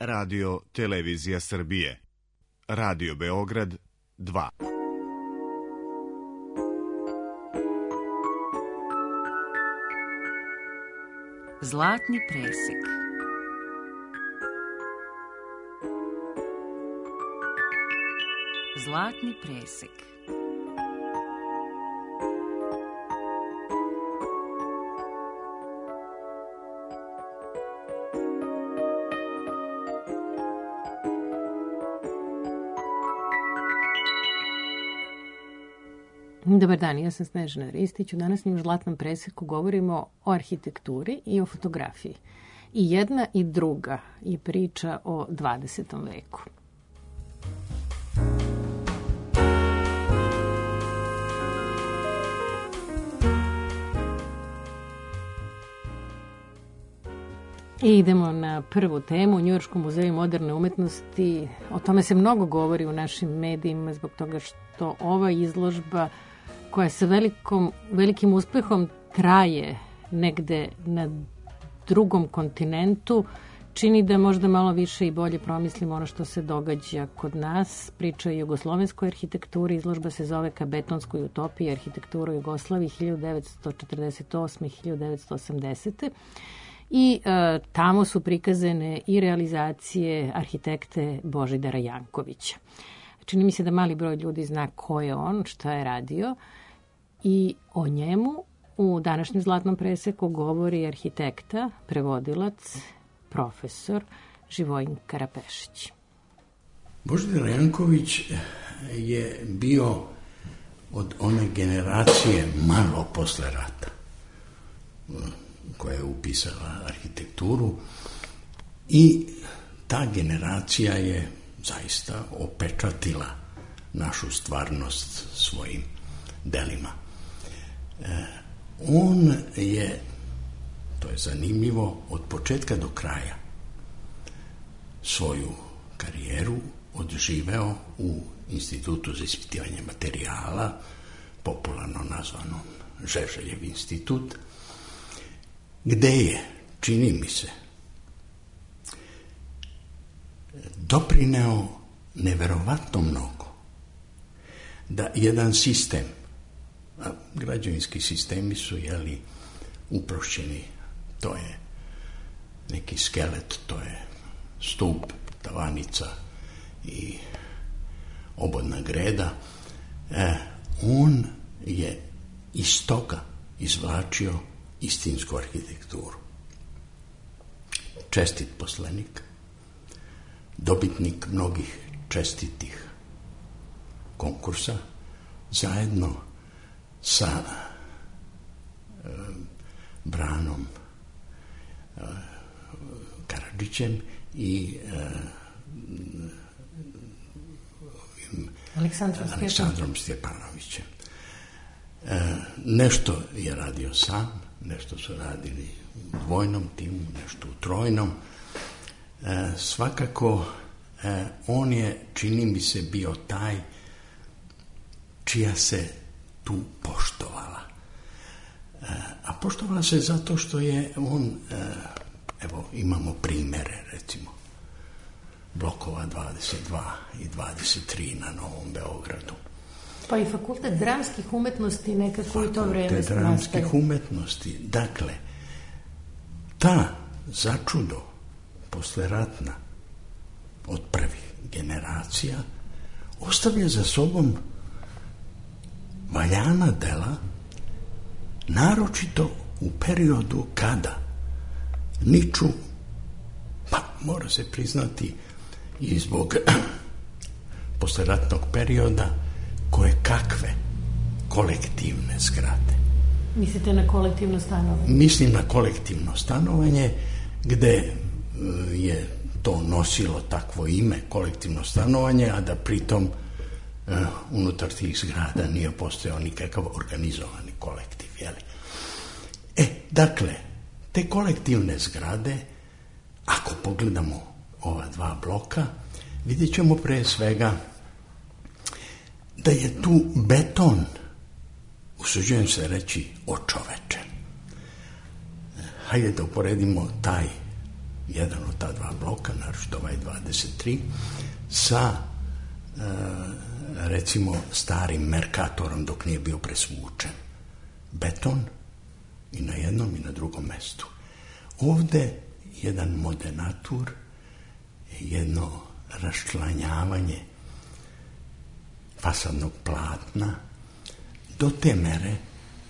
Radio Televizija Srbije. Radio Beograd 2. Zlatni presek. Zlatni presek. Dobar dan, ja sam Snežana Ristić. U današnjem Zlatnom preseku govorimo o arhitekturi i o fotografiji. I jedna i druga i priča o 20. veku. I idemo na prvu temu, u Njujorškom muzeju moderne umetnosti. O tome se mnogo govori u našim medijima zbog toga što ova izložba koja sa velikim uspehom traje negde na drugom kontinentu, čini da možda malo više i bolje promislimo ono što se događa kod nas. Priča o jugoslovenskoj arhitekturi, izložba se zove Ka betonskoj utopiji, arhitekturu Jugoslavije 1948-1980. I tamo su prikazane i realizacije arhitekte Božidara Jankovića. Čini mi se da mali broj ljudi zna ko je on, šta je radio, i o njemu u današnjem Zlatnom preseku govori arhitekta, prevodilac, profesor Živojin Karapešić. Božidar Janković je bio od one generacije malo posle rata koja je upisala arhitekturu i ta generacija je zaista opečatila našu stvarnost svojim delima. On je, to je zanimljivo, od početka do kraja svoju karijeru odživeo u Institutu za ispitivanje materijala, popularno nazvanom Žeželjev institut, gde je, čini mi se, doprineo neverovatno mnogo da jedan sistem, a građevinski sistemi su, uprošćeni, to je neki skelet, to je stup, tavanica i obodna greda, on je iz toga izvlačio istinsku arhitekturu. Čestit poslenik, dobitnik mnogih čestitih konkursa, zajedno sa Branom Karadžićem i Aleksandrom Stjepanovićem. Nešto je radio sam, nešto su radili u dvojnom timu, nešto u trojnom. Svakako, on je, čini mi se, bio taj čija se tu poštovala. A poštovala se zato što je on, evo imamo primere, recimo, blokova 22 i 23 na Novom Beogradu. Pa i Fakultet dramskih umetnosti nekako u to vreme nastaje. Fakultet dramskih umetnosti. Dakle, ta začudo posleratna od prvih generacija ostavlja za sobom valjana dela, naročito u periodu kada niču, pa mora se priznati i zbog posleratnog perioda, koje kakve kolektivne zgrade. Mislite na kolektivno stanovanje? Mislim na kolektivno stanovanje, gde je to nosilo takvo ime, kolektivno stanovanje, a da pritom unutar tih zgrada nije postojao nikakav organizovani kolektiv. Dakle, te kolektivne zgrade, ako pogledamo ova dva bloka, vidjet ćemo pre svega da je tu beton, usuđujem se reći, očovečen. Hajde da uporedimo taj jedan od ta dva bloka, naročito ovaj 23, sa recimo starim Merkatorom dok nije bio presvučen. Beton i na jednom i na drugom mestu. Ovde jedan modernatur, jedno raščlanjavanje fasadnog platna do te mere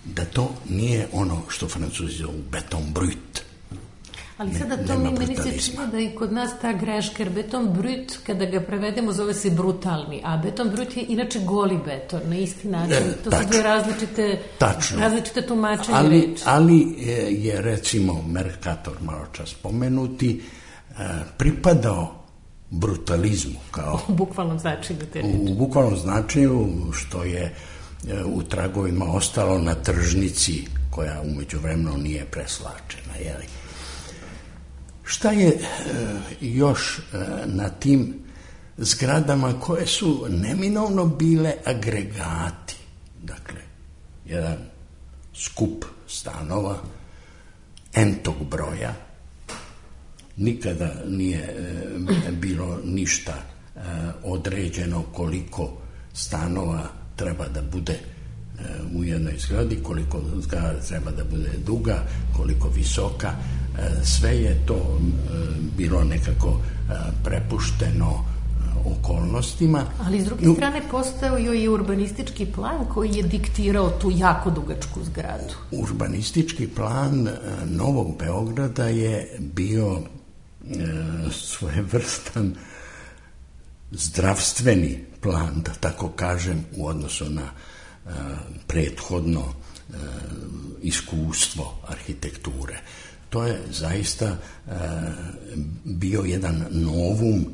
da to nije ono što Francuzi zovu beton brut. Ali sada to meni se čini da i kod nas ta greška, jer beton brut, kada ga prevedemo, zove se brutalni, a beton brut je inače goli beton, na isti način. To su dve različite tumačenje reči. Ali je, recimo, Mercator, malo čas spomenuti, pripadao brutalizmu. Kao, u bukvalnom značenju te reči. U bukvalnom značenju, što je u tragovima ostalo na tržnici, koja umeđu vremenu nije preslačena, jeli? Šta je još na tim zgradama koje su neminovno bile agregati? Dakle, jedan skup stanova entog broja, nikada nije bilo ništa određeno koliko stanova treba da bude u jednoj zgradi, koliko zgrada treba da bude duga, koliko visoka. Sve je to bilo nekako prepušteno okolnostima. Ali s druge strane postojao je i urbanistički plan koji je diktirao tu jako dugačku zgradu. Urbanistički plan Novog Beograda je bio svojevrstan zdravstveni plan, da tako kažem, u odnosu na prethodno iskustvo arhitekture. To je zaista bio jedan novum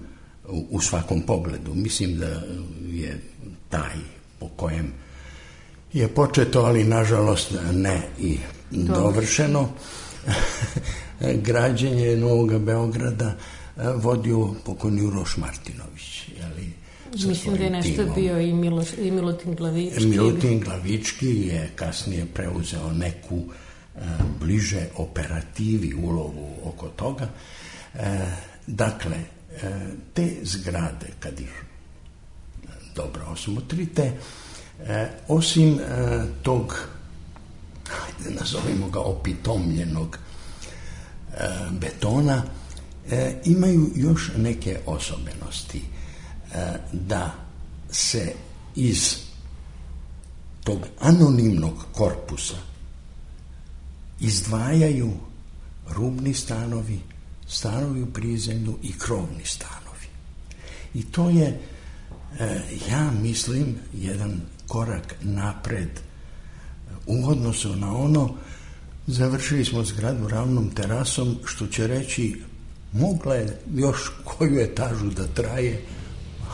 u svakom pogledu. Mislim da je taj po kojem je početo, ali nažalost ne i dovršeno, građenje Novog Beograda vodio pokojni Uroš Martinović. Mislim da je nešto bio i Milutin Glavički. Milutin Glavički je kasnije preuzeo neku bliže operativi ulogu oko toga. Dakle, te zgrade, kad ih dobro osmotrite, osim tog, nazovimo ga opitomljenog betona, imaju još neke osobenosti. Da se iz tog anonimnog korpusa izdvajaju rubni stanovi, stanovi u prizemlju i krovni stanovi. I to je, ja mislim, jedan korak napred u odnosu na ono. Završili smo zgradu ravnom terasom, što će reći mogla je još koju etažu da traje,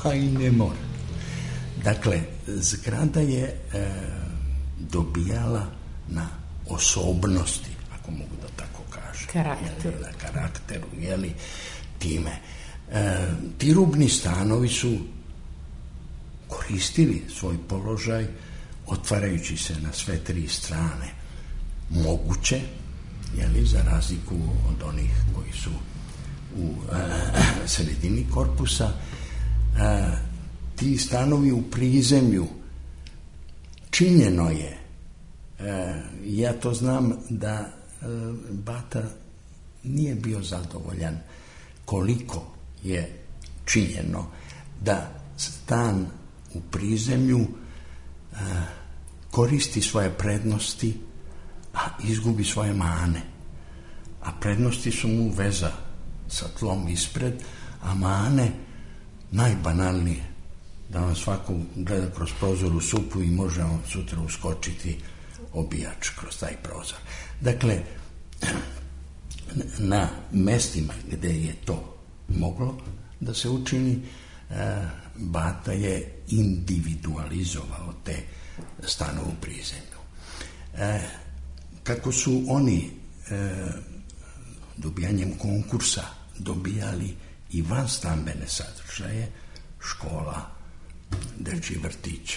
a i ne mora. Dakle, zgrada je dobijala na osobnosti, ako mogu da tako kažem. Na karakteru, time. Ti rubni stanovi su koristili svoj položaj, otvarajući se na sve tri strane moguće, za razliku od onih koji su u sredini korpusa. Ti stanovi u prizemlju, činjeno je, ja to znam da Bata nije bio zadovoljan koliko je činjeno da stan u prizemlju koristi svoje prednosti, a izgubi svoje mane. A prednosti su mu veza sa tlom ispred, a mane najbanalnije, da vam svako gleda kroz prozor u supu i može on sutra uskočiti obijač kroz taj prozor. Dakle, na mestima gde je to moglo da se učini, Bata je individualizovao te stanove u prizemlju. Kako su oni dobijanjem konkursa dobijali i van stambene sadržaje, škola, dečji vrtić,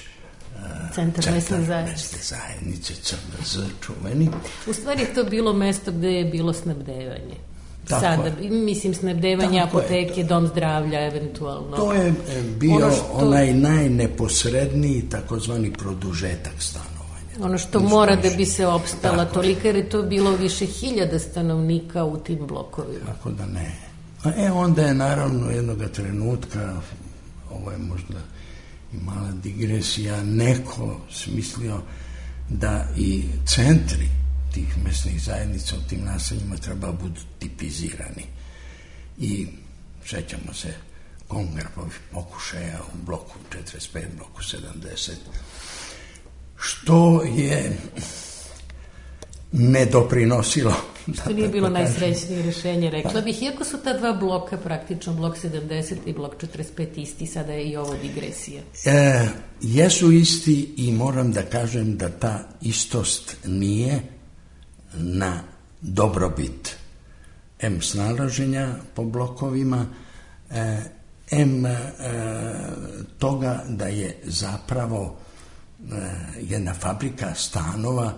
Centar mesne zajednice, CMZ, čuveni. U stvari je to bilo mesto gde je bilo snabdevanje. sada, mislim, snabdevanje apoteke, dom zdravlja, eventualno. To je bio onaj najneposredniji takozvani produžetak stanovanja. Ono što mora da bi se opstala tolika, jer je to bilo više 1000 stanovnika u tim blokovima. Tako da ne. Onda je naravno jednoga trenutka, ovo je možda i mala digresija, neko smislio da i centri tih mesnih zajednica u tim naseljima treba budu tipizirani. I sećamo se Kongrapovih pokušaja u bloku 45, bloku 70, što je ne doprinosilo. To nije bilo najsrećnije rješenje, rekla bih, iako su ta dva bloka, praktično blok 70 i blok 45 isti, sada je i ovo digresija. Jesu isti i moram da kažem da ta istost nije na dobrobit M snalaženja po blokovima, M toga da je zapravo jedna fabrika stanova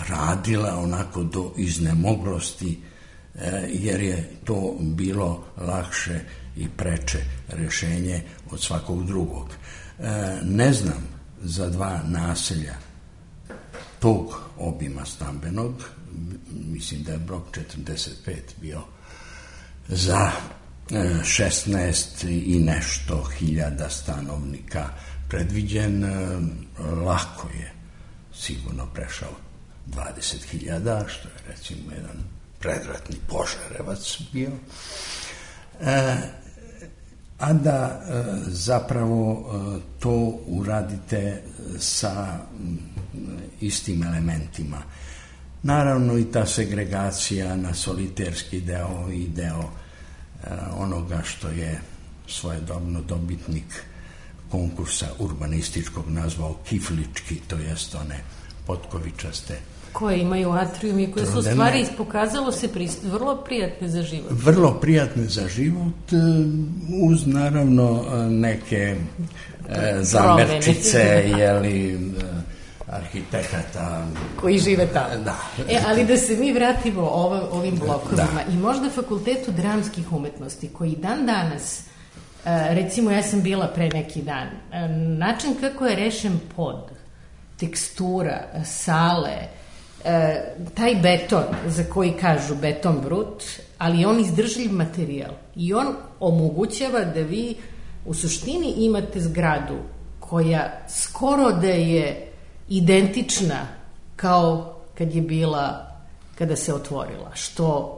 radila onako do iznemoglosti, jer je to bilo lakše i preče rješenje od svakog drugog. Ne znam za dva naselja tog obima stambenog, mislim da je blok 45 bio za 16 i nešto hiljada stanovnika predviđen, lako je sigurno prešao 20.000, što je recimo jedan predratni Požarevac bio, a da zapravo to uradite sa istim elementima. Naravno i ta segregacija na soliterski deo i deo onoga što je svojedobno dobitnik konkursa urbanističkog nazvao kiflički, to jest one potkovičaste koje imaju atrium i koje su stvari pokazalo se vrlo prijatne za život. Vrlo prijatne za život, uz naravno neke zamerčice, jeli, arhitekata koji žive tamo. Da. Ali da se mi vratimo ovim blokovima i možda Fakultetu dramskih umetnosti, koji dan danas, recimo ja sam bila pre neki dan, način kako je rešen pod, tekstura, sale, taj beton za koji kažu beton brut, ali on izdržljiv materijal i on omogućava da vi u suštini imate zgradu koja skoro da je identična kao kad je bila, kada se otvorila, što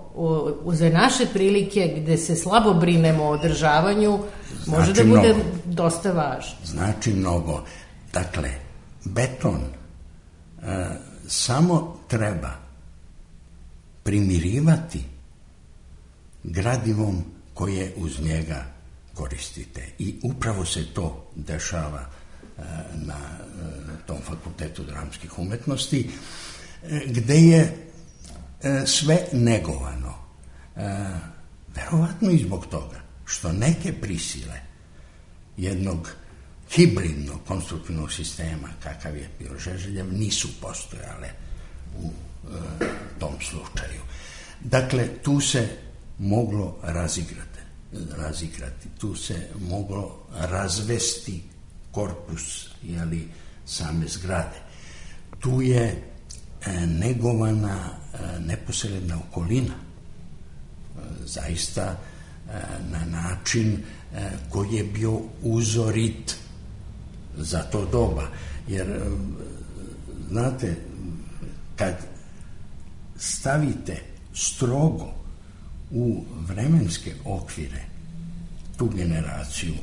za naše prilike gde se slabo brinemo o održavanju može da bude dosta važno. Znači mnogo. Dakle, beton samo treba primirivati gradivom koje uz njega koristite. I upravo se to dešava na tom Fakultetu dramskih umetnosti, gde je sve negovano. Verovatno i zbog toga što neke prisile jednog hibridnog konstruktivnog sistema, kakav je bio Žeželjev, nisu postojale u tom slučaju. Dakle, tu se moglo razigrati, tu se moglo razvesti korpus, jeli, same zgrade. Tu je negovana neposredna okolina, zaista na način koji je bio uzorit za to doba. Jer, znate, kad stavite strogo u vremenske okvire tu generaciju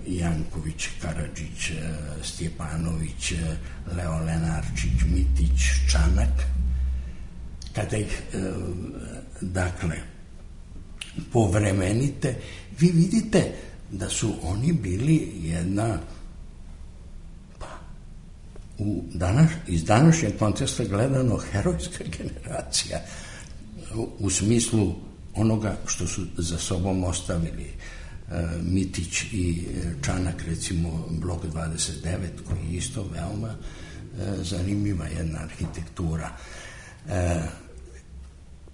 Janković, Karadžić, Stjepanović, Leo Lenarčić, Mitić, Čanak, kada ih dakle povremenite, vi vidite da su oni bili jedna iz današnjeg konteksta gledano herojska generacija u smislu onoga što su za sobom ostavili. Mitić i Čanak, recimo blok 29, koji je isto veoma zanimljiva jedna arhitektura.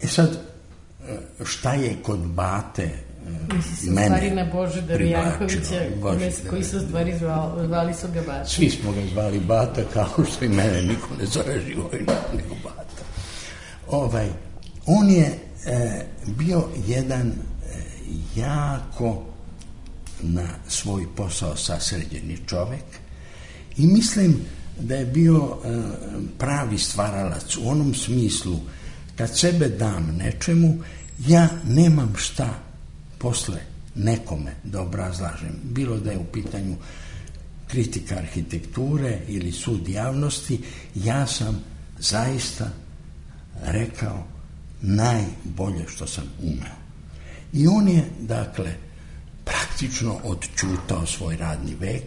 Sad, šta je kod bate mene stvari na Božidara Jankovića, koji su stvari zvali su ga Bata. Svi smo ga zvali Bata, kao što i mene niko ne zove Živojina nego Bata. On je bio jedan jako na svoj posao sasređeni čovek i mislim da je bio pravi stvaralac u onom smislu kad sebe dam nečemu, ja nemam šta posle nekome da obrazlažem, bilo da je u pitanju kritika arhitekture ili sud javnosti, ja sam zaista rekao najbolje što sam umeo. I on je, dakle, praktično odčutao svoj radni vek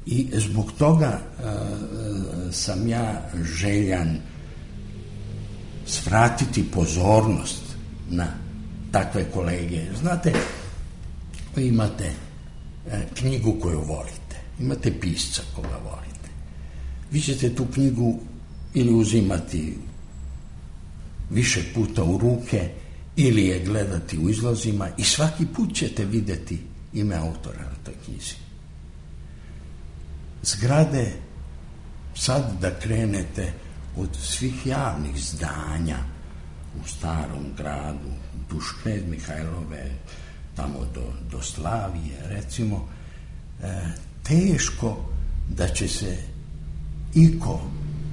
i zbog toga sam ja željan svratiti pozornost na takve kolege. Znate, vi imate knjigu koju volite, imate pisca koga volite. Vi ćete tu knjigu ili uzimati više puta u ruke ili je gledati u izlozima i svaki put ćete vidjeti ime autora na toj knjizi. Zgrade, sad da krenete od svih javnih zdanja u Starom gradu, duž Knez Mihajlove, tamo do Slavije, recimo, teško da će se iko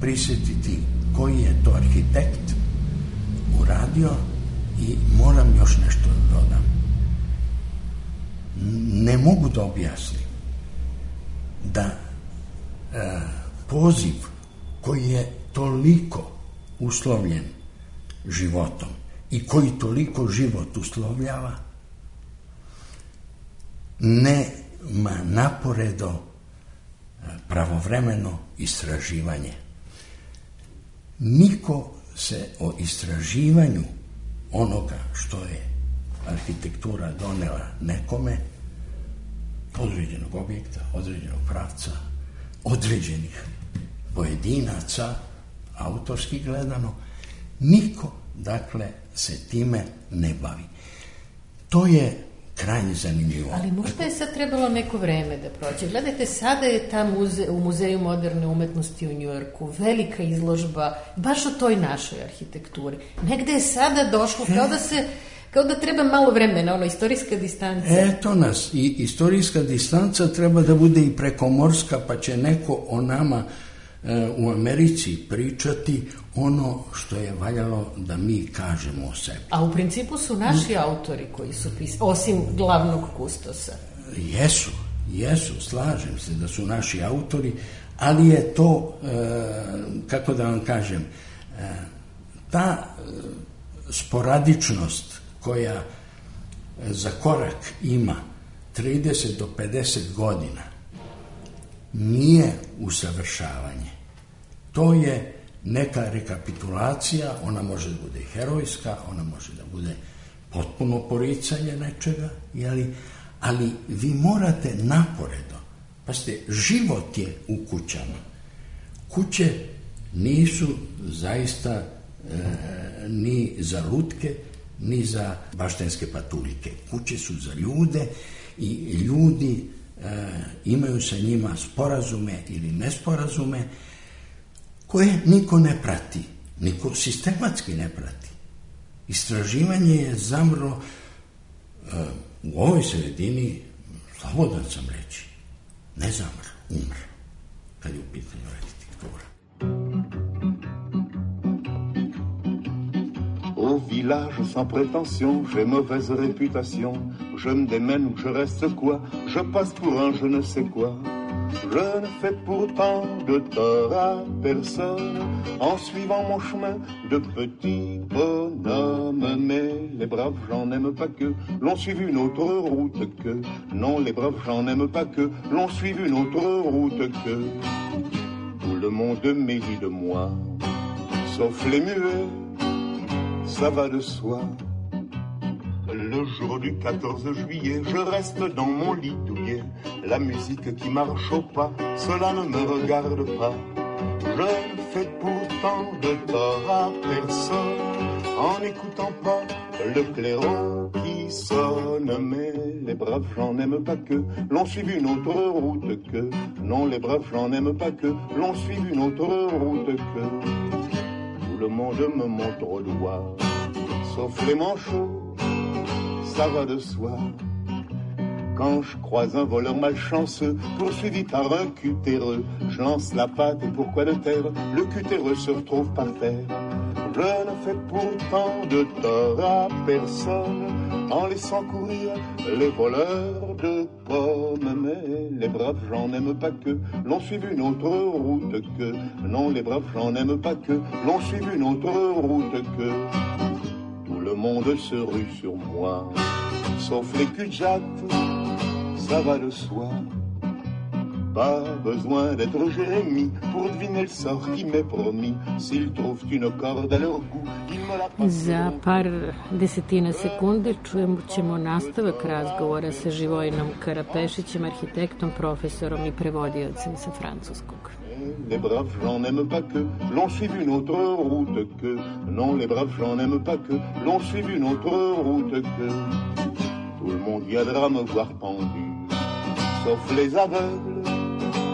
prisjetiti koji je to arhitekt uradio. I moram još nešto da dodam. Ne mogu da objasnim da poziv koji je toliko uslovljen životom i koji toliko život uslovljava nema naporedo pravovremeno istraživanje. Niko se o istraživanju onoga što je arhitektura donela nekome, određenog objekta, određenog pravca, određenih pojedinaca, autorski gledano, niko, dakle, se time ne bavi. To je krajnje zanimljivo. Ali možda je sad trebalo neko vreme da prođe. Gledajte, sada je u Muzeju moderne umetnosti u Njujorku velika izložba baš o toj našoj arhitekturi. Negde je sada došlo kao da treba malo vremena, istorijska distanca. Eto nas, i istorijska distanca treba da bude i prekomorska, pa će neko o nama u Americi pričati ono što je valjalo da mi kažemo o sebi. A u principu su naši autori koji su pisali, osim glavnog kustosa. Jesu, slažem se da su naši autori, ali je to, kako da vam kažem, ta sporadičnost koja za korak ima 30 do 50 godina nije usavršavanje. To je neka rekapitulacija, ona može da bude herojska, ona može da bude potpuno poricanje nečega, ali vi morate naporedo. Pazite, život je u kućama. Kuće nisu zaista ni za lutke, ni za baštenske patuljke. Kuće su za ljude i ljudi imaju sa njima sporazume ili nesporazume koje niko ne prati, niko sistematski ne prati. Istraživanje je zamro u ovoj sredini, slobodan sam reći, ne zamro, umro, kad je u pitanju arhitektura. Au village sans prétention, j'ai mauvaise réputation. Je me démène ou je reste quoi? Je passe pour un je ne sais quoi. Je ne fais pourtant de tort à personne en suivant mon chemin de petit bonhomme. Mais les braves gens n'aiment pas que l'on suive une autre route que. Non, les braves gens n'aiment pas que l'on suive une autre route que. Tout le monde mérit de moi, sauf les muets. Ça va de soi. Le jour du 14 juillet, je reste dans mon lit douillet. La musique qui marche au pas, cela ne me regarde pas. Je ne fais pourtant de tort à personne en n'écoutant pas le clairon qui sonne, mais les braves gens n'aiment pas que l'on suive une autre route que. Non, les braves gens n'aiment pas que l'on suive une autre route que. Tout le monde me montre au doigt, sauf les manchots, ça va de soi. Quand je croise un voleur malchanceux, poursuivi par un cutéreux, je lance la patte et pourquoi de terre, le cutéreux se retrouve par terre. Je ne fais pourtant de tort à personne en laissant courir les voleurs de pommes. Mais les braves gens n'aiment pas que l'on suive une autre route que. Non, les braves gens n'aiment pas que l'on suive une autre route que. Tout le monde se rue sur moi, sauf les cul-de-jatte, ça va de soi. Pas besoin d'être Jérémie pour deviner le sort qui m'est promis. S'ils trouvent une corde à leur goût, ils me la passent. Za par desetina sekunde ćemo nastavak razgovora sa Živojinom Karapešićem, arhitektom, profesorom i prevodiocem sa francuskog. Les braves gens n'aiment pas que l'on suive une autre route que. Non, les braves gens n'aiment pas que l'on suive une autre route que. Tout le monde viendra me voir pendu, sauf les aveugles,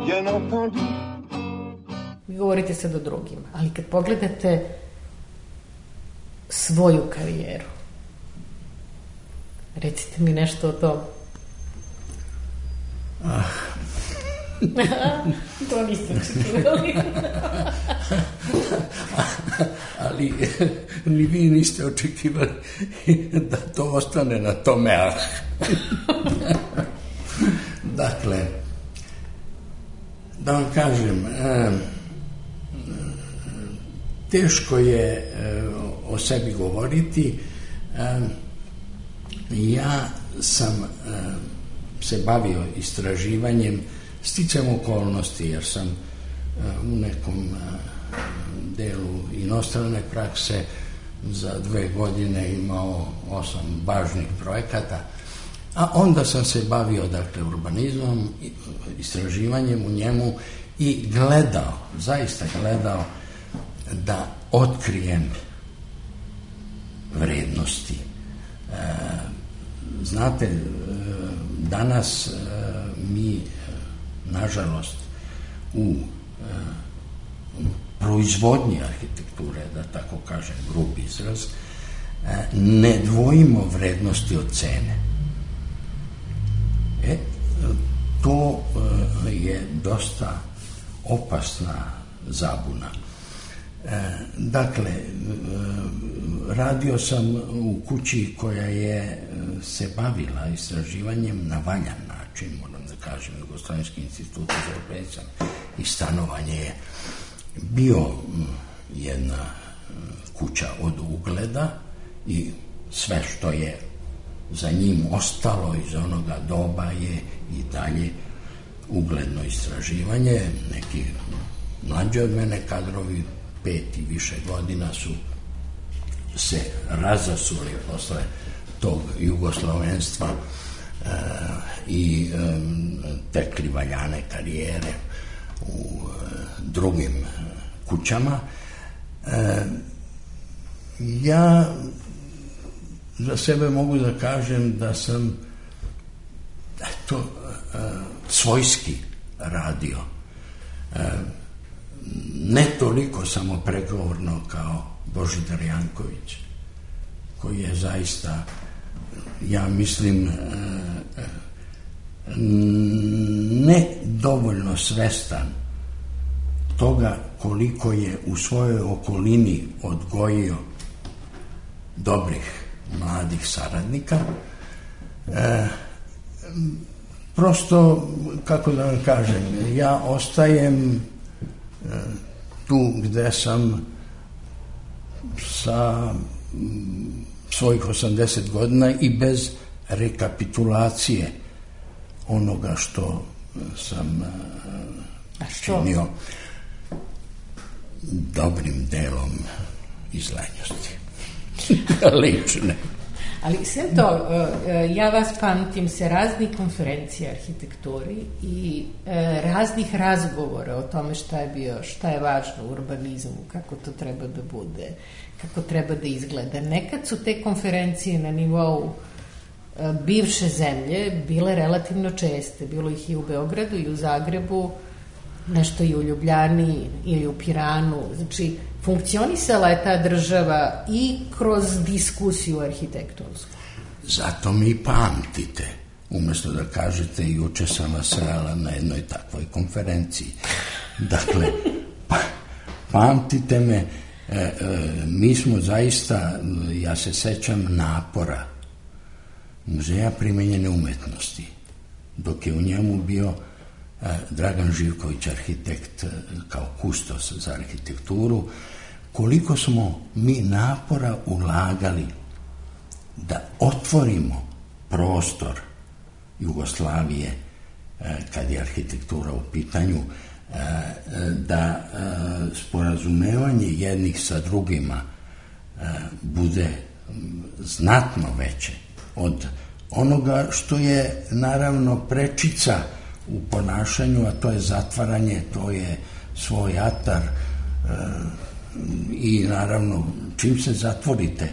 bien entendu. Vi govorite sad o drugima, ali kad pogledate svoju karijeru, recite mi nešto o tom. To niste očekivali. Ali ni vi niste očekivali da to ostane na tome. Dakle, da vam kažem, teško je o sebi govoriti. Ja sam se bavio istraživanjem sticajem okolnosti, jer sam u nekom delu inostrane prakse za 2 godine imao 8 važnih projekata, a onda sam se bavio, dakle, urbanizmom, istraživanjem u njemu i gledao, zaista gledao da otkrijem vrednosti. Znate, danas mi, nažalost, u proizvodnji arhitekture, da tako kažem, grub izraz, ne dvojimo vrednosti od cene. To je dosta opasna zabuna. Dakle, radio sam u kući koja je se bavila istraživanjem na valjan način, moram da kažem. Jugoslavenski institut za urbanizam i stanovanje je bio jedna kuća od ugleda i sve što je za njim ostalo iz onoga doba je i dalje ugledno istraživanje. Neki mlađi od mene kadrovi 5 i više godina su se razasuli posle tog jugoslovenstva i tekli valjane karijere u drugim kućama. Ja za sebe mogu da kažem da sam svojski radio. Ne toliko samopregovorno kao Božidar Janković, koji je zaista, ja mislim, ne dovoljno svestan toga koliko je u svojoj okolini odgojio dobrih mladih saradnika. Prosto, kako da vam kažem, ja ostajem tu gde sam sa svojih 80 godina i bez rekapitulacije onoga što sam činio dobrim delom iz lenjosti. Lične. Ali sve to, ja vas pamtim se raznih konferencija arhitekturi i raznih razgovora o tome šta je važno u urbanizmu, kako to treba da bude, kako treba da izgleda. Nekad su te konferencije na nivou bivše zemlje bile relativno česte. Bilo ih i u Beogradu i u Zagrebu, nešto i u Ljubljani ili u Piranu. Znači, funkcionisala je ta država i kroz diskusiju arhitektonsku. Zato mi pamtite. Umesto da kažete, juče sam vas srela na jednoj takvoj konferenciji. Dakle, pamtite me, mi smo zaista, ja se sećam napora Muzeja primenjene umetnosti, dok je u njemu bio Dragan Živković, arhitekt, kao kustos za arhitekturu, koliko smo mi napora ulagali da otvorimo prostor Jugoslavije kad je arhitektura u pitanju, da sporazumevanje jednih sa drugima bude znatno veće od onoga što je naravno prečica u ponašanju, a to je zatvaranje, to je svoj atar i naravno čim se zatvorite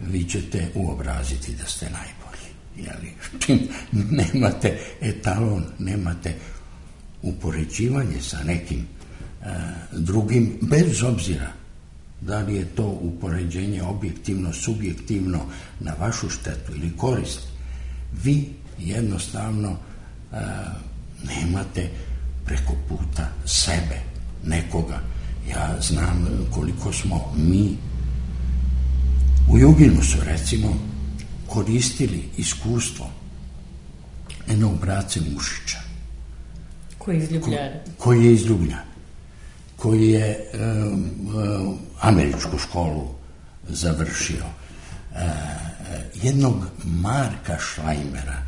vi ćete uobraziti da ste najbolji. Jeli? Čim nemate etalon, nemate upoređivanje sa nekim drugim, bez obzira da li je to upoređenje objektivno, subjektivno, na vašu štetu ili korist, vi jednostavno nemate preko puta sebe, nekoga. Ja znam koliko smo mi u Juginusu, recimo, koristili iskustvo jednog brace Mušića. Koji je iz Ljubljana. Koji je iz Ljubljana. Koji je američku školu završio. Jednog Marka Šlajmera,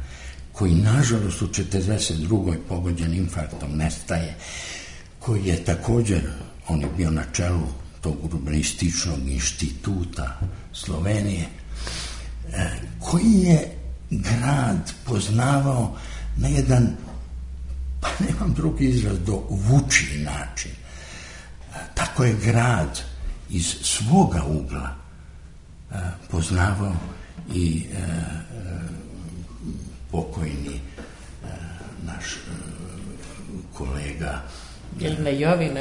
koji nažalost u 42. pogođen infarktom nestaje, koji je također, on je bio na čelu tog urbanističnog instituta Slovenije, koji je grad poznavao na jedan, pa nemam drugi izraz, do vučiji način. Tako je grad iz svoga ugla poznavao i pokojni naš kolega Brana Jovin.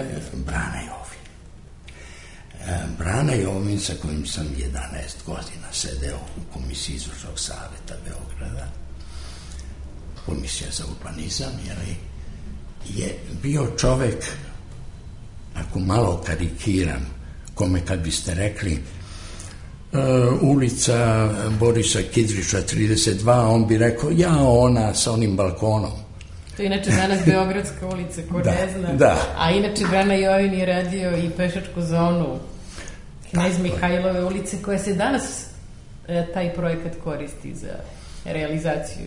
Brana Jovin, sa kojim sam 11 godina sedeo u komisiji izvršnog saveta Beograda, komisija za urbanizam, je bio čovek, ako malo karikiram, kome kad biste rekli ulica Borisa Kidrića 32, on bi rekao, ja, ona sa onim balkonom. To je inače danas Beogradska ulica, ko ne zna. Da. A inače Brana Jovin je radio i pešačku zonu Knez Mihajlove ulice, koja se danas taj projekat koristi za realizaciju.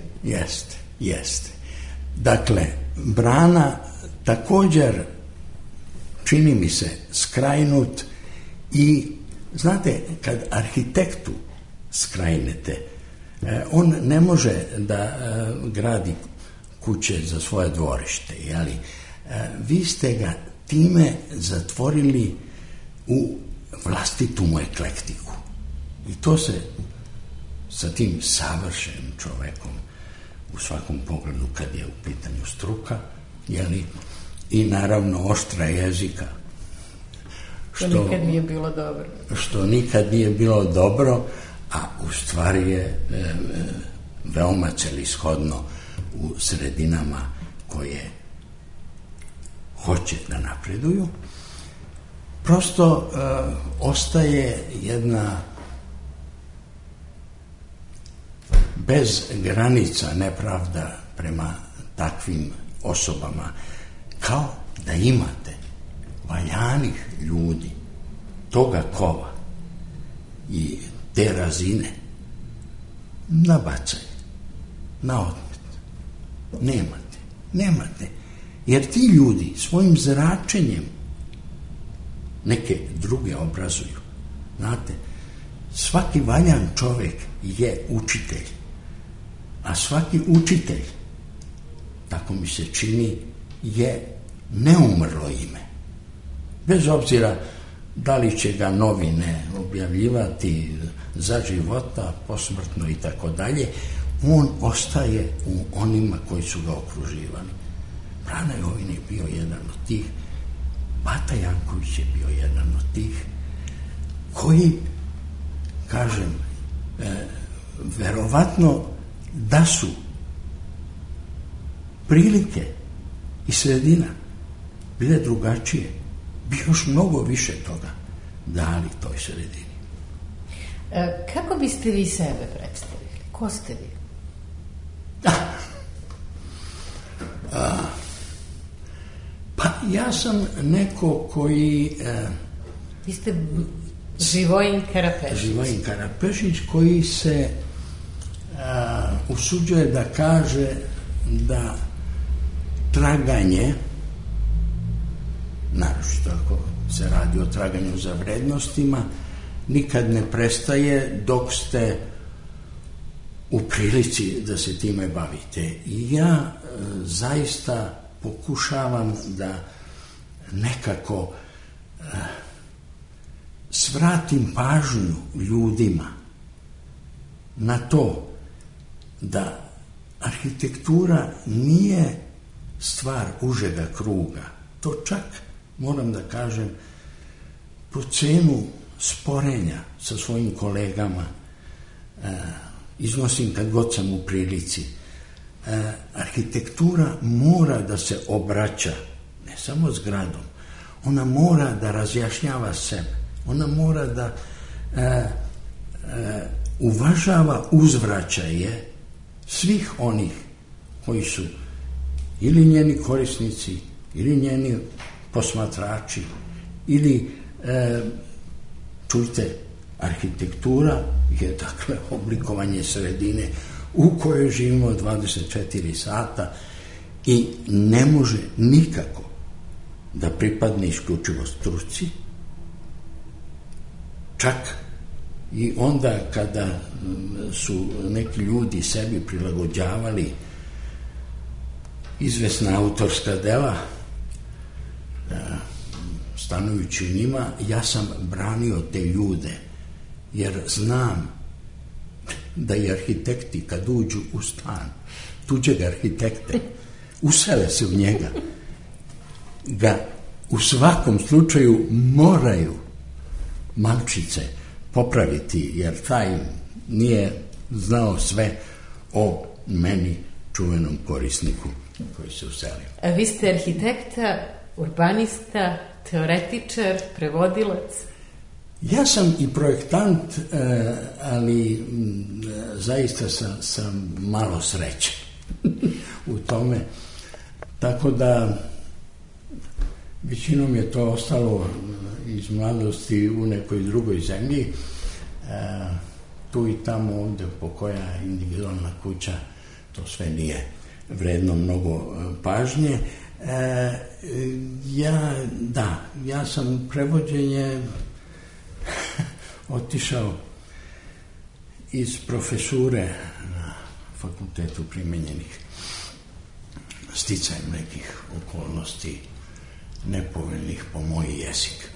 Jeste. Dakle, Brana također, čini mi se, skrajnut i, znate, kad arhitektu skrajnete, on ne može da gradi kuće za svoje dvorište, jeli? Vi ste ga time zatvorili u vlastitu mu eklektiku. I to se sa tim savršenim čovekom u svakom pogledu, kad je u pitanju struka, jeli, i naravno oštra jezika, što nikad nije bilo dobro. Što nikad nije bilo dobro, a u stvari je veoma celishodno u sredinama koje hoće da napreduju. Prosto ostaje jedna bez granica nepravda prema takvim osobama, kao da imate valjanih ljudi toga kova i te razine na bacanje, na odmet. Nemate. Jer ti ljudi svojim zračenjem neke druge obrazuju. Znate, svaki valjan čovek je učitelj. A svaki učitelj, tako mi se čini, je neumrlo ime. Bez obzira da li će ga novine objavljivati za života, posmrtno i tako dalje, on ostaje u onima koji su ga okruživali. Brana Jovin je bio jedan od tih, Bata Janković je bio jedan od tih, koji, kažem, verovatno da su prilike i sredina bile drugačije, bi još mnogo više toga dali toj sredini. Kako biste vi sebe predstavili? Ko ste vi? Pa ja sam neko koji... Vi ste Živojin Karapešić. Živojin Karapešić koji se usuđuje da kaže da traganje, naročito ako se radi o traganju za vrednostima, nikad ne prestaje dok ste u prilici da se time bavite. I ja zaista pokušavam da nekako svratim pažnju ljudima na to da arhitektura nije stvar užega kruga. To čak, moram da kažem, po cenu sporenja sa svojim kolegama iznosim kad god sam u prilici. Arhitektura mora da se obraća ne samo zgradom, ona mora da razjašnjava sebe, ona mora da uvažava uzvraćaje svih onih koji su ili njeni korisnici, ili njeni posmatrači, ili čujte, arhitektura je dakle oblikovanje sredine u kojoj živimo 24 sata i ne može nikako da pripadne isključivo struci, čak i onda kada su neki ljudi sebi prilagođavali izvesna autorska dela, stanujući njima, ja sam branio te ljude, jer znam da i arhitekti kad uđu u stan tuđeg arhitekte, usele se u njega, ga u svakom slučaju moraju malčice popraviti, jer taj nije znao sve o meni, čuvenom korisniku koji se uselio. A vi ste arhitekta, urbanista, teoretičar, prevodilac? Ja sam i projektant, ali zaista sam malo sreće u tome. Tako da većinom je to ostalo iz mladosti u nekoj drugoj zemlji. Tu i tamo ovde pokoja individualna kuća, to sve nije vredno mnogo pažnje. Ja sam prevođenje otišao iz profesure na fakultetu primenjenih sticajem nekih okolnosti nepovoljnih po moj jezik,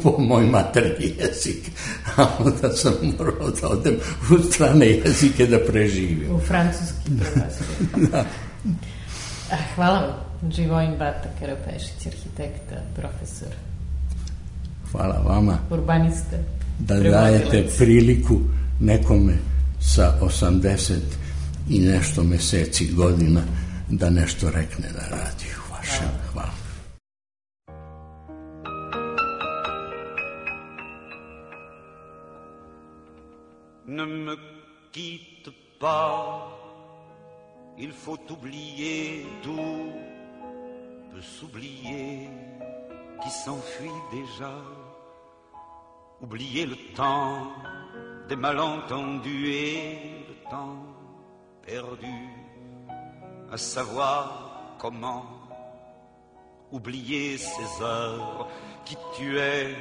po moj maternji jezik, a onda sam morao da odem u strane jezike da preživim. U francuski prelazio. Da. Hvala vam, Živojin Bata Karapešić, arhitekta, profesor. Hvala vama. Urbanista. Da dajete priliku nekome sa 80 i nešto meseci, godina, da nešto rekne na radiju. Hvala. Ne me quitte pas, il faut oublier tout, peut s'oublier qui s'enfuit déjà, oublier le temps des malentendus et le temps perdu, à savoir comment oublier ces heures qui tuaient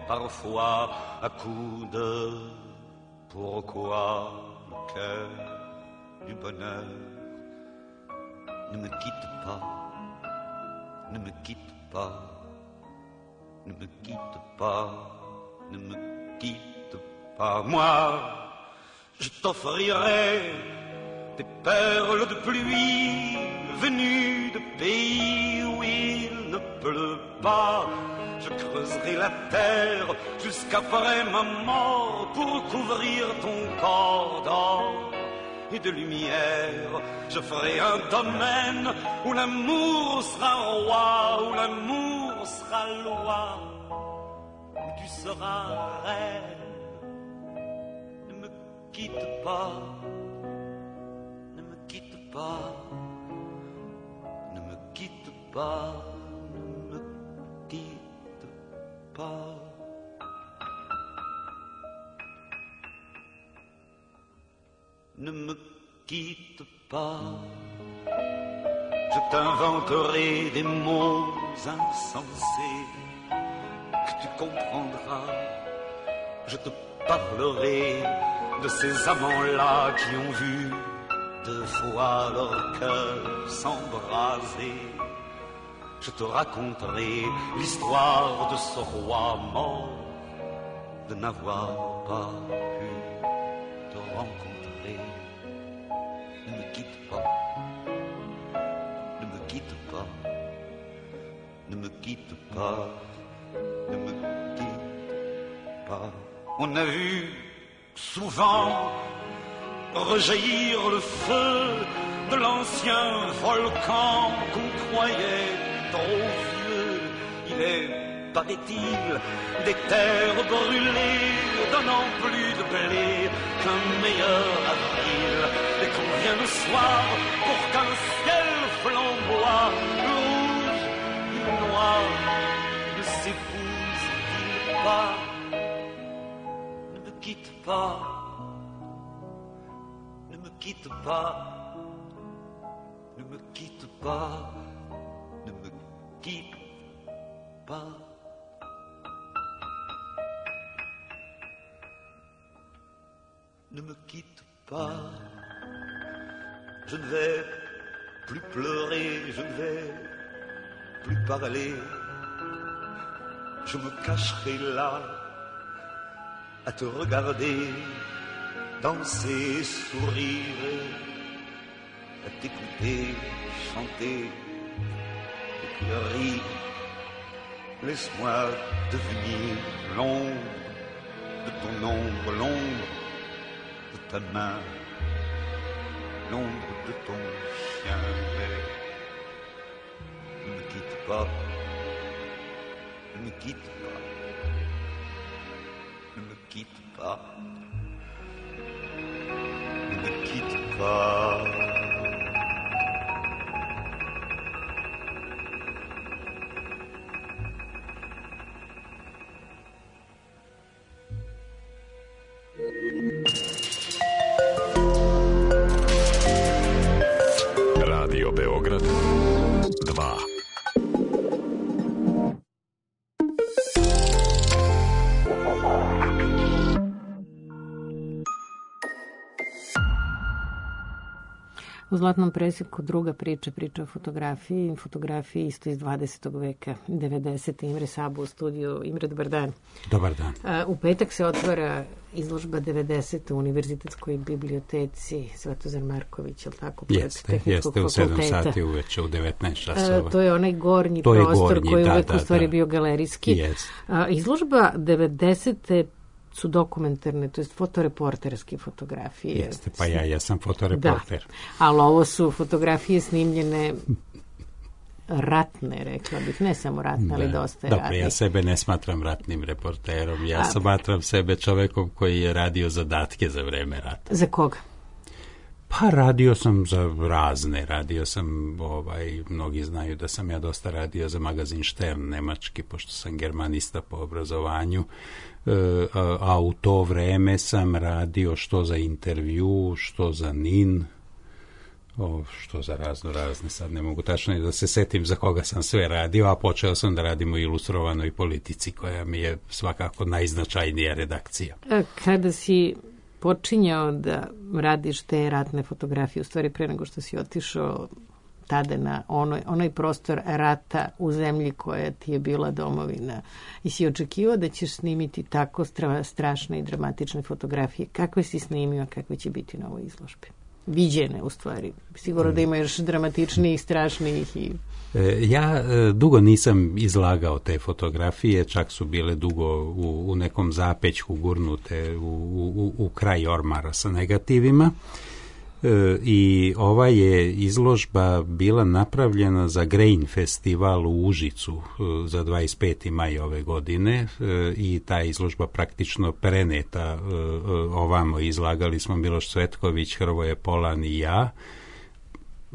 parfois à coups de Pourquoi le cœur du bonheur ne me quitte pas, ne me quitte pas, ne me quitte pas, ne me quitte pas. Moi, je t'offrirai des perles de pluie venues de pays où il ne pleut pas. Je creuserai la terre jusqu'après ma mort pour couvrir ton corps d'or et de lumière. Je ferai un domaine où l'amour sera roi, où l'amour sera loi, où tu seras reine. Ne me quitte pas, ne me quitte pas, ne me quitte pas, ne me quitte pas. Ne me quitte pas, je t'inventerai des mots insensés que tu comprendras. Je te parlerai de ces amants-là qui ont vu 2 fois leur cœur s'embraser. Je te raconterai l'histoire de ce roi mort, de n'avoir pas pu te rencontrer. Ne me quitte pas, ne me quitte pas, ne me quitte pas, ne me quitte pas. On a vu souvent rejaillir le feu de l'ancien volcan qu'on croyait trop vieux. Il est, paraît-il, des terres brûlées, donnant plus de blé qu'un meilleur avril. Et qu'on vient le soir pour qu'un ciel flamboie, le rouge et le noir ne s'épousent-ils pas? Ne me quitte pas, ne me quitte pas, ne me quitte pas, ne me quitte pas. Ne me quitte pas, je ne vais plus pleurer, je ne vais plus parler, je me cacherai là à te regarder, danser, sourire, à t'écouter, chanter et puis rire. Laisse-moi devenir l'ombre de ton ombre, l'ombre de ta main, l'ombre de ton chien. Ne me quitte pas, ne me quitte pas, ne me quitte pas, ne me quitte pas. Radio Beograd 2. U Zlatnom presjeku druga priča o fotografiji isto iz 20. veka, 90. Imre Sabu u studiju. Imre, dobar dan. Dobar dan. U petak se otvara izložba 90. u Univerzitetskoj biblioteci Svetozar Marković, je li tako? Jeste, u 7 sati uveče, u 19 časova. To je onaj gornji prostor koji je uvek u stvari bio galerijski. Izložba 90. su dokumentarne, to je fotoreporterske fotografije. Jeste, pa ja sam fotoreporter. Da, ali ovo su fotografije snimljene ratne, rekla bih, ne samo ratne, ali dosta ratne. Dobro, ja sebe ne smatram ratnim reporterom, ja smatram sebe čovekom koji je radio zadatke za vreme rata. Za koga? Pa radio sam za razne, mnogi znaju da sam ja dosta radio za magazin Stern nemački, pošto sam germanista po obrazovanju, a u to vreme sam radio što za intervju, što za NIN, što za razne, sad ne mogu tačno da se setim za koga sam sve radio, a počeo sam da radim u Ilustrovanoj politici, koja mi je svakako najznačajnija redakcija. Kada si počinjao da radiš te ratne fotografije, u stvari pre nego što si otišao tada na onaj prostor rata u zemlji koja ti je bila domovina, i si očekivao da ćeš snimiti tako strašne i dramatične fotografije? Kakve si snimio, kakve će biti na ovoj izložbi? Viđene, u stvari. Sigurno da ima još dramatičnijih, strašnijih i... Ja dugo nisam izlagao te fotografije, čak su bile dugo u nekom zapećku gurnute u kraj ormara sa negativima. I ova je izložba bila napravljena za Grain festival u Užicu za 25. maj ove godine i ta izložba praktično preneta ovamo. Izlagali smo Miloš Cvetković, Hrvoje Polan i ja.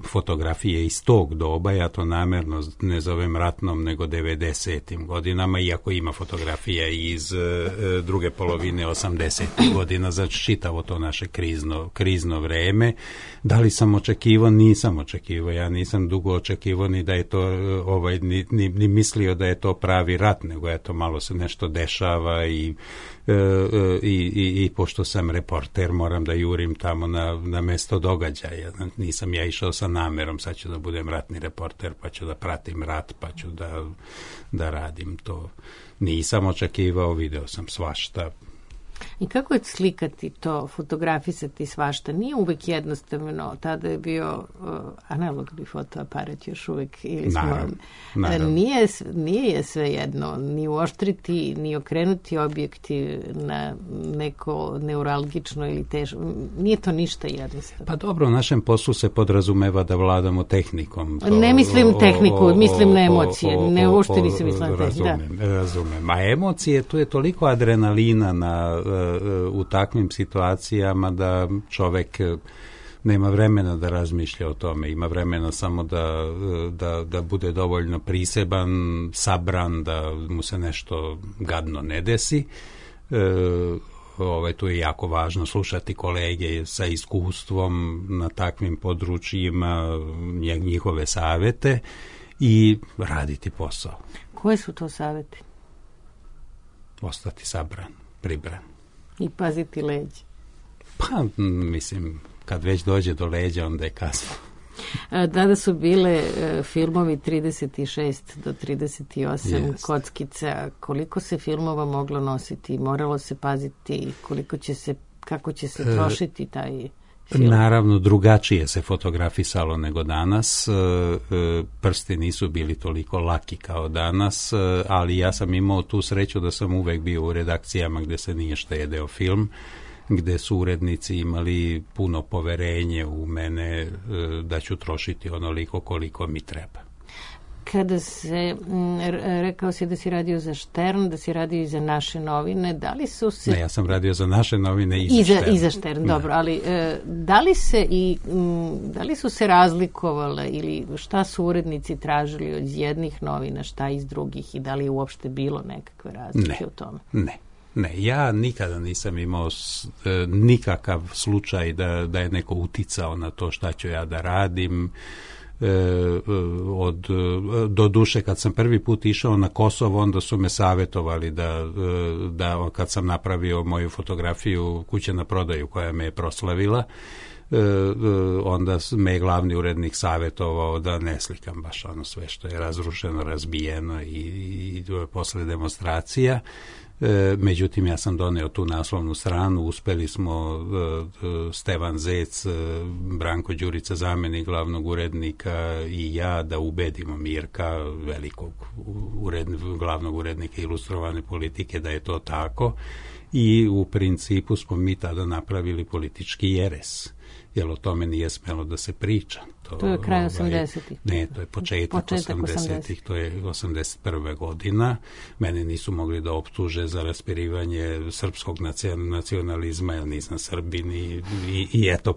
Fotografije iz tog doba, ja to namerno ne zovem ratnom, nego 90. godinama, iako ima fotografija iz druge polovine 80. godina, znači čitavo to naše krizno vreme. Da li sam očekivao? Nisam očekivao. Ja nisam dugo očekivao ni da je to, ni mislio da je to pravi rat, nego je to malo se nešto dešava i pošto sam reporter, moram da jurim tamo na mesto događaja. Nisam ja išao sa namerom, sad ću da budem ratni reporter, pa ću da pratim rat, pa ću da radim to. Nisam očekivao, video sam svašta. I kako je slikati to, fotografisati svašta? Nije uvek jednostavno. Tada je bio analogni fotoaparat još uvek. Naravno. Nije je sve jedno. Ni uoštriti, ni okrenuti objektiv na neko neuralgično ili teško. Nije to ništa jednostavno. Pa dobro, u našem poslu se podrazumeva da vladamo tehnikom. Ne mislim tehniku, mislim na emocije. Ne uopšte nisam mislila na tehniku. Razumem. A emocije, tu je toliko adrenalina u takvim situacijama da čovek nema vremena da razmišlja o tome, ima vremena samo da bude dovoljno priseban, sabran, da mu se nešto gadno ne desi. Tu je jako važno slušati kolege sa iskustvom na takvim područjima, njihove savete i raditi posao. Koje su to saveti? Ostati sabran, pribran. I paziti leđa. Pa, mislim, kad već dođe do leđa, onda je kasno. Tada su bile filmovi 36 do 38 kockica. Koliko se filmova moglo nositi? Moralo se paziti kako će se trošiti taj film? Naravno, drugačije se fotografisalo nego danas. Prsti nisu bili toliko laki kao danas, ali ja sam imao tu sreću da sam uvek bio u redakcijama gde se nije štedeo film, gde su urednici imali puno poverenje u mene da ću trošiti onoliko koliko mi treba. Kada rekao si da si radio za Štern, da si radio i za naše novine, da li su se... Ne, ja sam radio za naše novine i za Štern. I za Štern, dobro, ali da li su se razlikovale ili šta su urednici tražili od jednih novina, šta iz drugih i da li je uopšte bilo nekakve razlike u tome? Ne, ja nikada nisam imao nikakav slučaj da je neko uticao na to šta ću ja da radim. Do duše, kad sam prvi put išao na Kosovo, onda su me savjetovali da kad sam napravio moju fotografiju Kuće na prodaju koja me je proslavila, onda me je glavni urednik savjetovao da ne slikam baš ono sve što je razrušeno, razbijeno i posle demonstracija. Međutim, ja sam doneo tu naslovnu stranu, uspeli smo Stevan Zec, Branko Đurica, zamenik glavnog urednika i ja da ubedimo Mirka, velikog glavnog urednika Ilustrovane politike, da je to tako i u principu smo mi tada napravili politički jeres, jer o tome nije smelo da se priča. To je kraj 80-ih. Ne, to je početak 80-ih, to je 81. godina. Mene nisu mogli da optuže za raspirivanje srpskog nacionalizma, jer nisam Srbin i eto,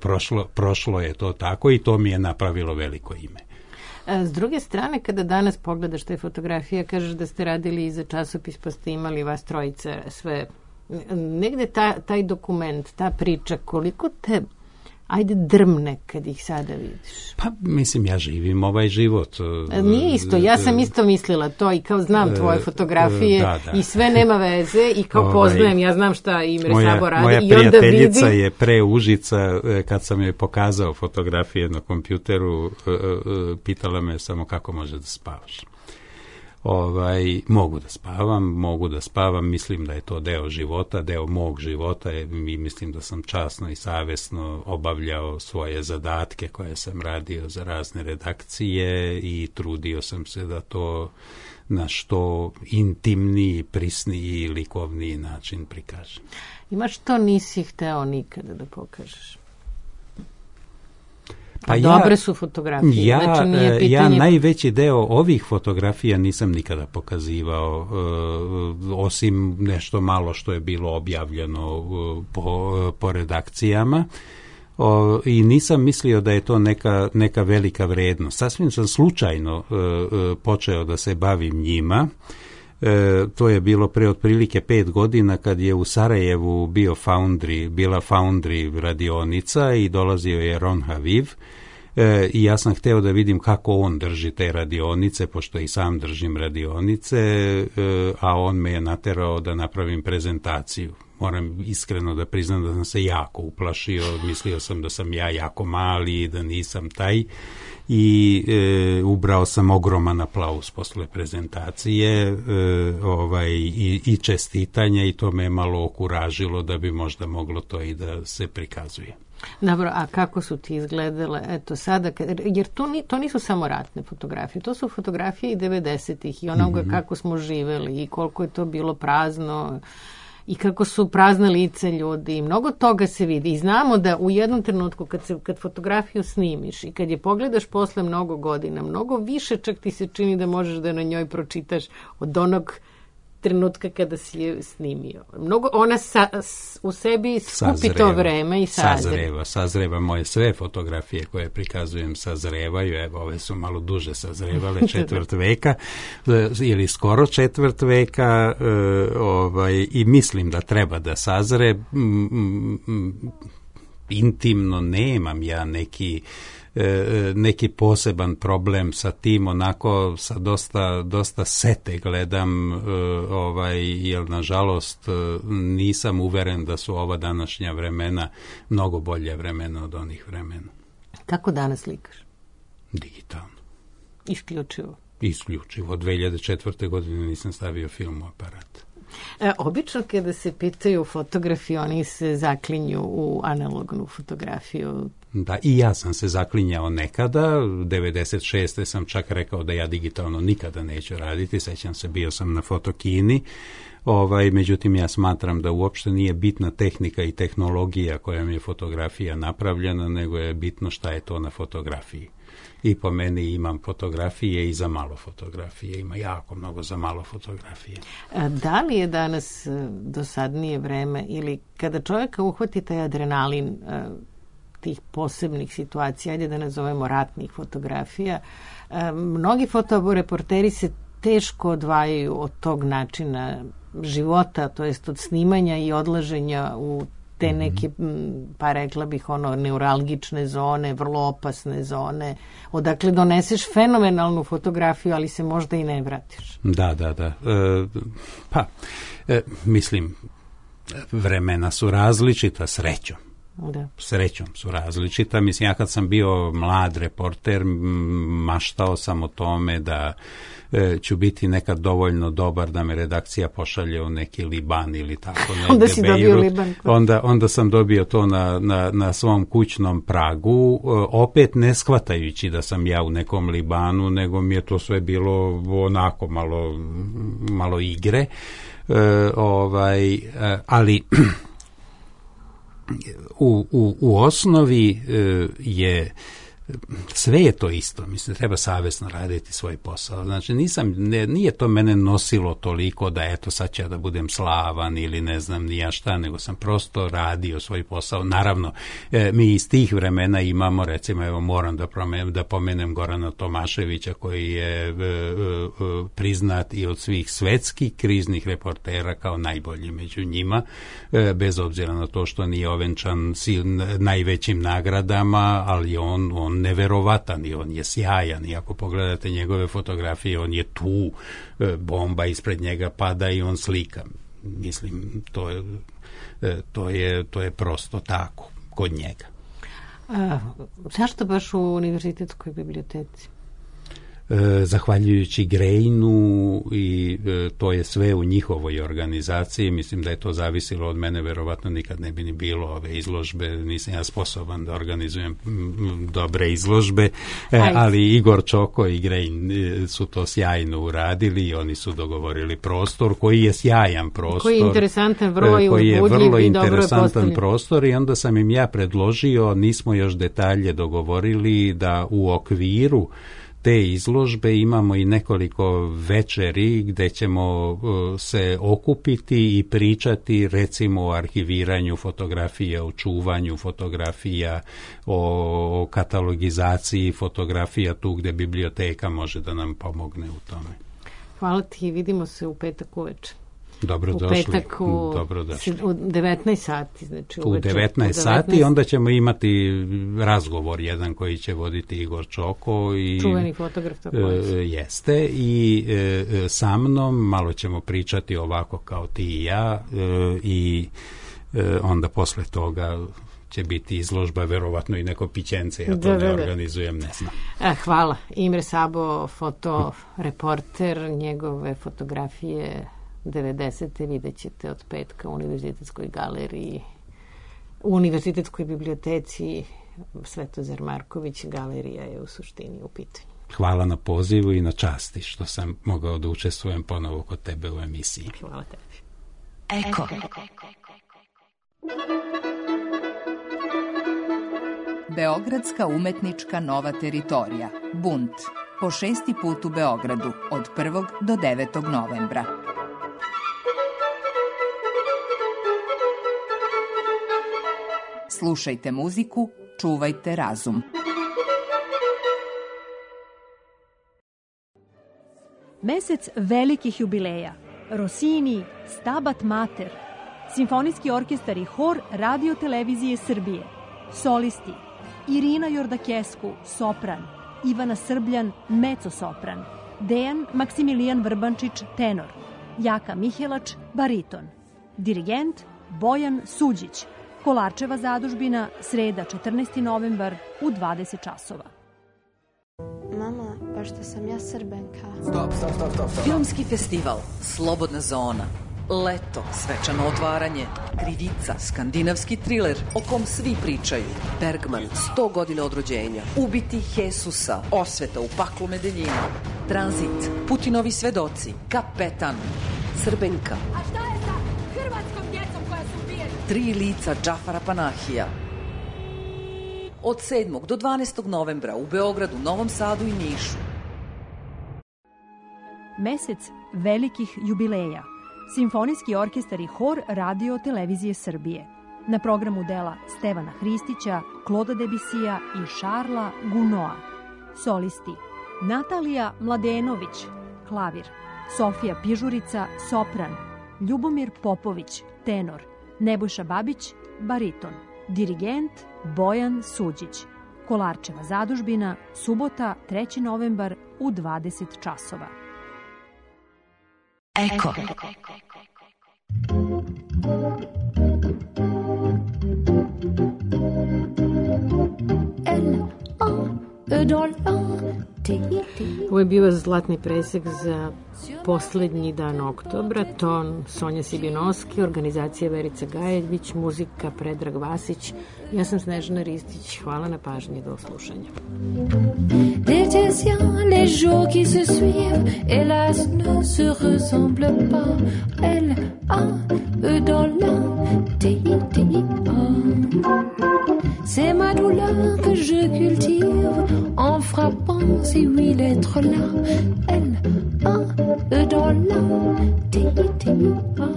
prošlo je to tako i to mi je napravilo veliko ime. S druge strane, kada danas pogledaš te fotografije, kažeš da ste radili i za časopis, pa ste imali vas trojice sve. Negde taj dokument, ta priča, koliko te ajde drmne kad ih sada vidiš? Pa, mislim, ja živim ovaj život. Nije isto, ja sam isto mislila to i kao znam tvoje fotografije i sve nema veze i kao poznajem, ja znam šta Imre Sabo radi moja i onda prijateljica vidim. je pre Užica, kad sam joj pokazao fotografije na kompjuteru, pitala me samo kako može da spavaš. Mogu da spavam, mislim da je to deo života, deo mog života i mislim da sam časno i savjesno obavljao svoje zadatke koje sam radio za razne redakcije i trudio sam se da to na što intimniji, prisniji i likovniji način prikažem. Ima što nisi hteo nikada da pokažeš? Pa dobre su fotografije. Ja najveći deo ovih fotografija nisam nikada pokazivao, osim nešto malo što je bilo objavljeno po redakcijama. I nisam mislio da je to neka velika vrednost. Sasvim sam slučajno počeo da se bavim njima. To je bilo pre otprilike 5 godina kad je u Sarajevu bila Foundry radionica i dolazio je Ron Haviv i ja sam hteo da vidim kako on drži te radionice, pošto i sam držim radionice, a on me je naterao da napravim prezentaciju. Moram iskreno da priznam da sam se jako uplašio, mislio sam da sam ja jako mali i da nisam taj i ubrao sam ogroman aplauz posle prezentacije i čestitanja i to me malo okuražilo da bi možda moglo to i da se prikazuje. Dobro, a kako su ti izgledale, eto sada, jer to nisu samo ratne fotografije, to su fotografije i 90-ih i onoga kako smo živeli i koliko je to bilo prazno i kako su prazne lice ljudi i mnogo toga se vidi i znamo da u jednom trenutku kad fotografiju snimiš i kad je pogledaš posle mnogo godina, mnogo više čak ti se čini da možeš da na njoj pročitaš od onog trenutka kada si je snimio. Mnogo, ona u sebi skupi to vreme i sazreva. Moje sve fotografije koje prikazujem sazrevaju, evo ove su malo duže sazrevale, 4. veka ili skoro 4. veka i mislim da treba da sazre. Intimno nemam ja neki poseban problem sa tim, onako sa dosta sete gledam, jer nažalost nisam uveren da su ova današnja vremena mnogo bolje vremena od onih vremena. Kako danas slikaš? Digitalno. Isključivo? Isključivo. Od 2004. godine nisam stavio film u aparat. Obično kada se pitaju fotografi, oni se zaklinju u analognu fotografiju. Da, i ja sam se zaklinjao nekada, 96. sam čak rekao da ja digitalno nikada neću raditi, sećam se, bio sam na fotokini, međutim ja smatram da uopšte nije bitna tehnika i tehnologija kojom je fotografija napravljena, nego je bitno šta je to na fotografiji. I po meni imam fotografije i za malo fotografije. Ima jako mnogo za malo fotografije. Da li je danas dosadnije vreme ili kada čovjeka uhvati taj adrenalin tih posebnih situacija, ajde da nazovemo ratnih fotografija, mnogi fotoreporteri se teško odvajaju od tog načina života, to jest od snimanja i odlaženja u te neke, pa rekla bih, neuralgične zone, vrlo opasne zone, odakle doneseš fenomenalnu fotografiju, ali se možda i ne vratiš. Da. Mislim, vremena su različita, srećom. Da. Srećom su različita. Mislim, ja kad sam bio mlad reporter, maštao sam o tome da ću biti nekad dovoljno dobar da me redakcija pošalje u neki Liban ili tako. Onda si dobio Liban. Onda sam dobio to na svom kućnom pragu, opet ne shvatajući da sam ja u nekom Libanu, nego mi je to sve bilo onako malo igre. Ali u osnovi je sve je to isto, mislim, treba savjesno raditi svoj posao. Znači, nije to mene nosilo toliko da eto sad ću ja da budem slavan ili ne znam ni ja šta, nego sam prosto radio svoj posao. Naravno, mi iz tih vremena imamo, recimo, evo moram da pomenem Gorana Tomaševića, koji je priznat i od svih svetskih kriznih reportera kao najbolji među njima, bez obzira na to što nije ovenčan najvećim nagradama, ali on neverovatan i on je sjajan i ako pogledate njegove fotografije, on je tu, bomba ispred njega pada i on slika. Mislim, to je prosto tako kod njega. Zašto baš u univerzitetskoj biblioteci? Zahvaljujući Greinu i to je sve u njihovoj organizaciji. Mislim da je to zavisilo od mene, verovatno nikad ne bi ni bilo ove izložbe, nisam ja sposoban da organizujem dobre izložbe, ali Igor Čoko i Grein su to sjajno uradili i oni su dogovorili prostor koji je sjajan prostor. Koji je interesantan broj, koji je vrlo interesantan prostor i onda sam im ja predložio, nismo još detalje dogovorili, da u okviru te izložbe imamo i nekoliko večeri gde ćemo se okupiti i pričati recimo o arhiviranju fotografija, o čuvanju fotografija, o katalogizaciji fotografija tu gde biblioteka može da nam pomogne u tome. Hvala ti i vidimo se u petak uveče. Dobrodošli. U petak u 19 sati. Znači u 19 sati onda ćemo imati razgovor jedan koji će voditi Igor Čoko. I, čuveni fotograf tako jeste i sa mnom malo ćemo pričati ovako kao ti i ja i onda posle toga će biti izložba, verovatno i neko pićence, ja to ne organizujem, ne znam. Hvala. Imre Sabo, fotoreporter, njegove fotografije 90. vidjet ćete od petka u Univerzitetskoj galeriji, u Univerzitetskoj biblioteci Svetozar Marković, galerija je u suštini u pitanju. Hvala na pozivu i na časti što sam mogao da učestvujem ponovo kod tebe u emisiji. Hvala tebi. Eko. Beogradska umetnička nova teritorija, Bunt, po 6. put u Beogradu, od 1. do 9. novembra. Slušajte muziku, čuvajte razum. Mesec velikih jubileja. Rossini, Stabat Mater, Simfonijski orkestar i hor Radio Televizije Srbije, solisti Irina Jordakesku, sopran, Ivana Srbljan, mezzo-sopran, Dejan Maksimilijan Vrbančić, tenor, Jaka Mihelač, bariton, dirigent Bojan Suđić, Kolarčeva zadužbina, sreda 14. novembar u 20 časova. Mama, pa što sam ja Srbenka. Stop. Filmski festival, Slobodna zona, leto, svečano otvaranje, krivica, skandinavski triler o kom svi pričaju, Bergman, 100 godina od rođenja, ubiti Jesusa, osveta u paklu Medeljina, Tranzit, Putinovi svedoci, Kapetan, Srbenka. A šta je sa hrvatskom djecom koja su ubijena? 3 lica Džafara Panahija. Od 7. do 12. novembra u Beogradu, Novom Sadu i Nišu. Mesec velikih jubileja. Simfonijski orkestar i hor Radio Televizije Srbije. Na programu dela Stevana Hristića, Kloda Debisija i Šarla Gunoa. Solisti Natalija Mladenović, klavir, Sofija Pižurica, sopran, Ljubomir Popović, tenor, Nebojša Babić, bariton, dirigent Bojan Suđić. Kolarčeva zadužbina, subota 3. novembar u 20 časova. Eko. Ovo je bio zlatni presek za poslednji dan oktobra, ton Sonja Sibinovski, organizacija Verica Gajević, muzika Predrag Vasić, ja sam Snežana Ristić, hvala na pažnji, do slušanja. Les jours qui se suivent, hélas, ne se ressemblent pas. Elle a eux dans la TITA. C'est ma douleur que je cultive dans ces 8 lettres-là. L, A, E dans la, T-I-T-I-A.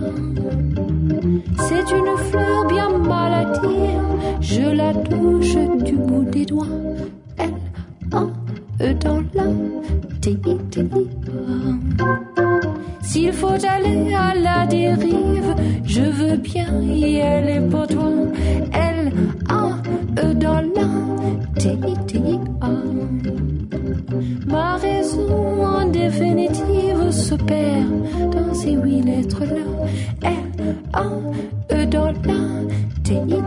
C'est une fleur bien maladive, je la touche du bout des doigts. L, A, E dans la, T-I-T-I-A. S'il faut aller à la dérive, je veux bien y aller pour toi. L, A, E dans la, T-I-T-I-A. Ma raison en définitive se perd dans ces 8 lettres-là. L, A, E dans la, T-I-T-I-A.